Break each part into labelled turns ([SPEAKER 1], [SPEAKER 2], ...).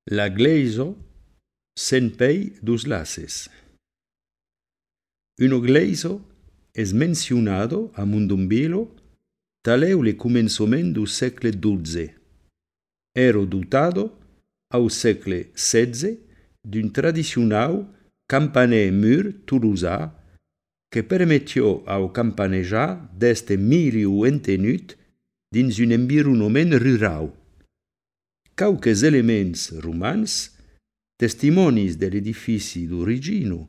[SPEAKER 1] La gleiso sen pei dus laces. Uno gleiso es mencionado a Mundumbilo taleu le començament du segle XII. Ero dotado au segle XVI d'un tradicionau campaner mur toulousà que permettió au campanejar d'este miliu entenut dins un environnement rural. Quauques elements romans, testimonis de l'edifici d'origino,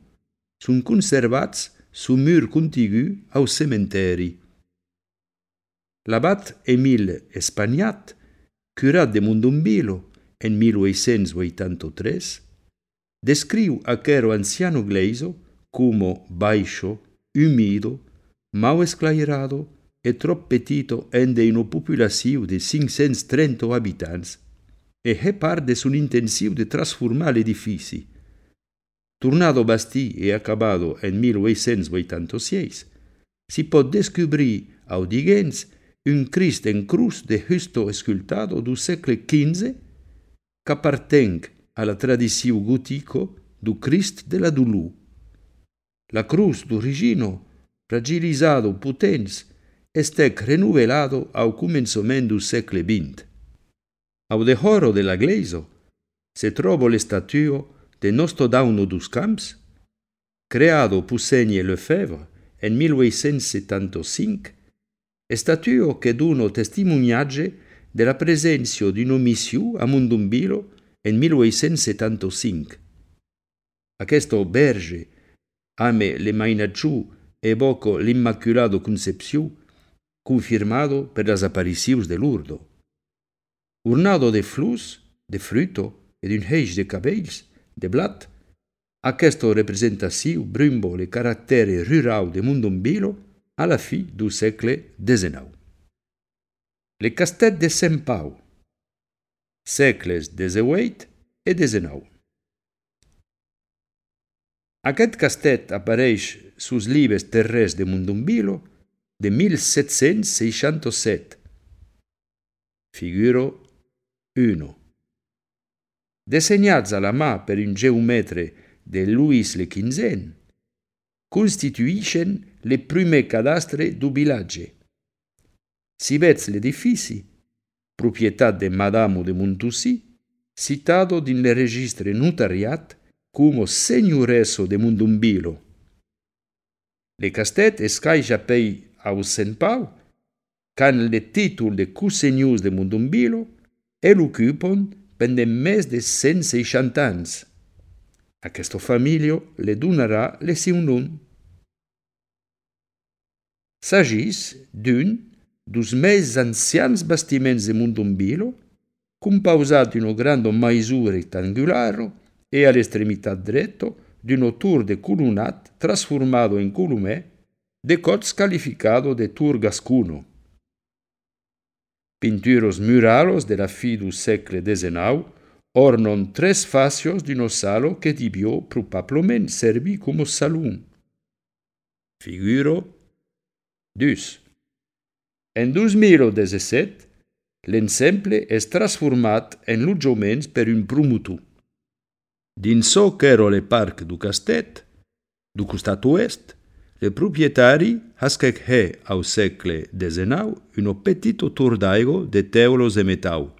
[SPEAKER 1] sunt conservats su mur contigu au cementeri. L'abat Emile Espagnat, curat de Mundumbilo en 1883, descriu aquero anciano gleiso como baixo, humido, mau esclairado e trop petito ende una populaciu de 530 habitants, e è part de son intensiu de transformar l'edifici. Tornado bastí e acabado en 1886, si pot descobrir audiguents un Crist en cruz de justo escultado du segle XV qu'appartenc a la tradiciu gotico du Crist de la Dulù. La cruz d'origino, fragilizado potens, estèc renovelado au començament du segle XX. Au dehoro de la gleiso se trovo l'estatuo de Nostodauno dus Camps, creado Poussegne Lefebvre en 1875, estatuo che duno testimoniatge de la presenzio d'un omissiu a Mundumbilo en 1875. Aquesto berge, ame le mainacciu evoco l'Immaculado Concepciu, confirmado per las apparicius de Lourdes. Ornado de flors, de fruto e d'un heix de cabells, de blat, aquesto representaciu brumbo le caractere rural de Mundumbilo a la fi du segle XIX. Le castet de Sant Pau, segles XVIII e XIX. Aquest castet apareix sus libres terres de Mundumbilo de 1767. Figuro 1. Desegnats a la mà per un geomètre de Louis le XV, constituïxen le primer cadastre du vilatge. Si vets l'edifici, propietat de Madamo de Montussi, citado din le registre notariat como Signoresso de Mundumbilo. Le castet escaixa pei au Sant Pau, can le títol de Cussegnus de Mundumbilo e l'occupon pendent més de 160 ans. Aquesto familio le donarà le siu nom. S'agís d'un dus més ancians bastiments de Mundumbilo, compausat d'uno grande maisù rectangularo e all'estremità dretto d'uno tour de colonnat trasformado en columè de cots calificado de tour gascuno. Pinturos muralos de la fi du segle XIX ornon tres facios d'uno salo que debió probablement servir como salón. Figuro 2. En 2017, l'ensemble és transformat en lotjaments per un promotor. Dins çò qu'èra le parc du castet, du costat oest, le proprietari hasquèc au segle XIX un petito tour d'aigua de teulos e metau.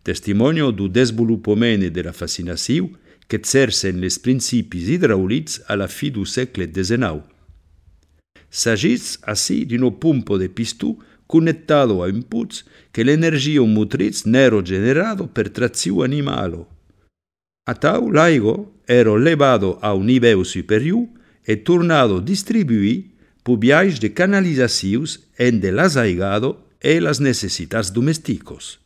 [SPEAKER 1] Testimonio du desvolupament e de la fascinaciu qu'exercen les principis hidraulics a la fi du segle XIX. S'agís así d'uno pompo de pistó conectado a un puz que l'energia motriz n'ero generado per traziu animalo. Atau l'aigua ero levado a un niveu superior e tornado distribuir pu viatge de canalizacius ende l'asaigado e las necessitats domesticos.